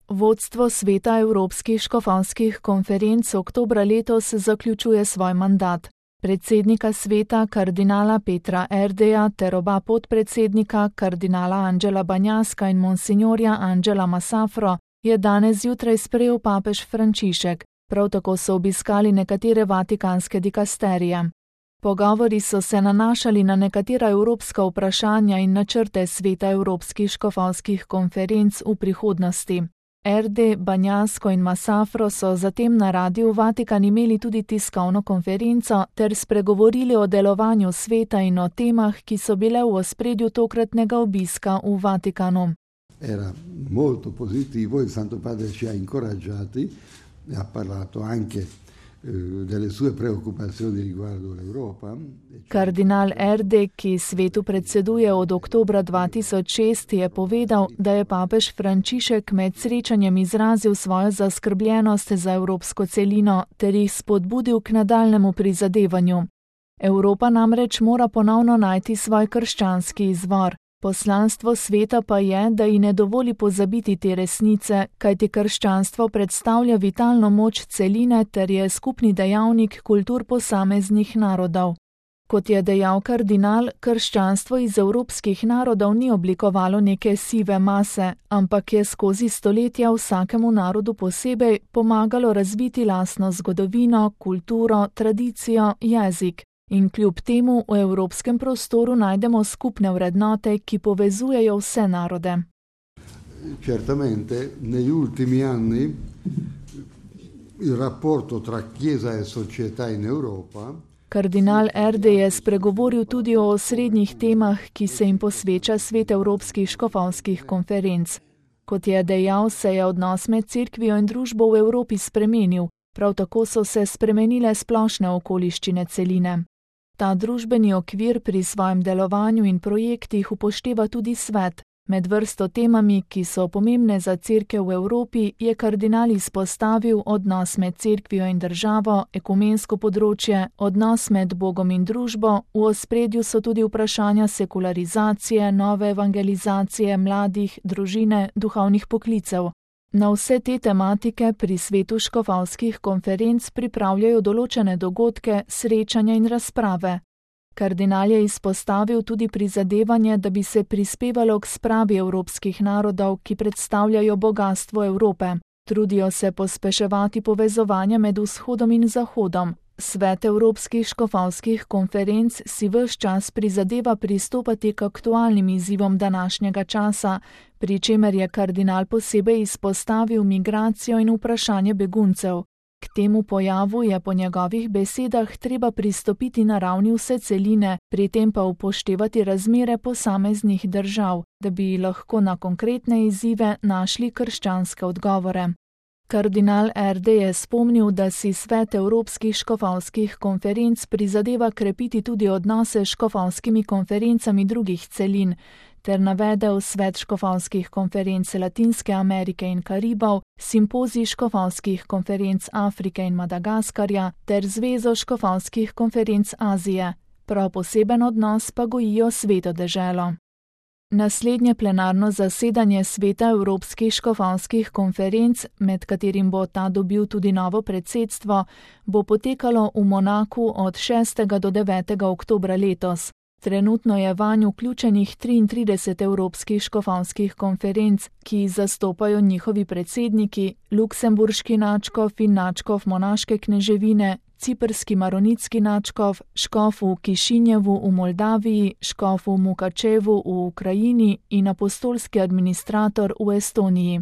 Vodstvo Sveta evropskih škofovskih konferenc oktobra letos zaključuje svoj mandat. Predsednika sveta kardinala Petra Erdeja ter oba podpredsednika kardinala Angela Banjaska in monsignorja Angela Massafro je danes zjutraj sprejel papež Frančišek. Prav tako so obiskali nekatere vatikanske dikasterije. Pogovori so se nanašali na nekatera evropska vprašanja in načrte Sveta evropskih škofovskih konferenc v prihodnosti. Erde, Banjasko in Massafro so zatem na Radiu Vatikan imeli tudi tiskovno konferenco ter spregovorili o delovanju sveta in o temah, ki so bile v ospredju tokratnega obiska v Vatikanu. Era molto positivo, il Santo Padre ci ha incoraggiati, ha parlato anche delle sue preoccupazioni riguardo l'Europa. Kardinal Erde, ki svetu predseduje od oktobra 2006, je povedal, da je papež Frančišek med srečanjem izrazil svojo zaskrbljenost za evropsko celino ter jih spodbudil k nadaljnemu prizadevanju. Evropa namreč mora ponovno najti svoj krščanski izvor. Poslanstvo sveta pa je, da ji ne dovoli pozabiti te resnice, kajti krščanstvo predstavlja vitalno moč celine ter je skupni dejavnik kultur posameznih narodov. Kot je dejal kardinal, krščanstvo iz evropskih narodov ni oblikovalo neke sive mase, ampak je skozi stoletja vsakemu narodu posebej pomagalo razviti lastno zgodovino, kulturo, tradicijo, jezik. In kljub temu v evropskem prostoru najdemo skupne vrednote, ki povezujejo vse narode. Certamente, negli ultimi anni il rapporto tra Chiesa e società in Europa. Kardinal Erde je spregovoril tudi o osrednjih temah, ki se jim posveča Svet evropskih škofovskih konferenc. Kot je dejal, se je odnos med cerkvijo in družbo v Evropi spremenil, prav tako so se spremenile splošne okoliščine celine. Ta družbeni okvir pri svojem delovanju in projektih upošteva tudi svet. Med vrsto temami, ki so pomembne za cerkev v Evropi, je kardinal izpostavil odnos med cerkvijo in državo, ekumensko področje, odnos med Bogom in družbo, v ospredju so tudi vprašanja sekularizacije, nove evangelizacije, mladih, družine, duhovnih poklicev. Na vse te tematike pri svetu škofovskih konferenc pripravljajo določene dogodke, srečanja in razprave. Kardinal je izpostavil tudi prizadevanje, da bi se prispevalo k spravi evropskih narodov, ki predstavljajo bogastvo Evrope. Trudijo se pospeševati povezovanje med vzhodom in zahodom. Svet evropskih škofovskih konferenc si ves čas prizadeva pristopati k aktualnim izzivom današnjega časa, pri čemer je kardinal posebej izpostavil migracijo in vprašanje beguncev. K temu pojavu je po njegovih besedah treba pristopiti na ravni vse celine, pri tem pa upoštevati razmere posameznih držav, da bi lahko na konkretne izzive našli krščanske odgovore. Kardinal Erde je spomnil, da si Svet evropskih škofovskih konferenc prizadeva krepiti tudi odnose s škofovskimi konferencami drugih celin, ter navedel Svet škofovskih konferenc Latinske Amerike in Karibov, simpozij škofovskih konferenc Afrike in Madagaskarja ter Zvezo škofovskih konferenc Azije. Prav poseben odnos pa gojijo Sveto deželo. Naslednje plenarno zasedanje Sveta evropskih škofovskih konferenc, med katerim bo ta dobil tudi novo predsedstvo, bo potekalo v Monaku od 6. do 9. oktobra letos. Trenutno je vanj vključenih 33 evropskih škofovskih konferenc, ki jih zastopajo njihovi predsedniki, luksemburški nadškof in nadškof monaške kneževine, ciprski maronitski nadškof, škof v Kišinjevu v Moldaviji, škof v Mukačevu v Ukrajini in apostolski administrator v Estoniji.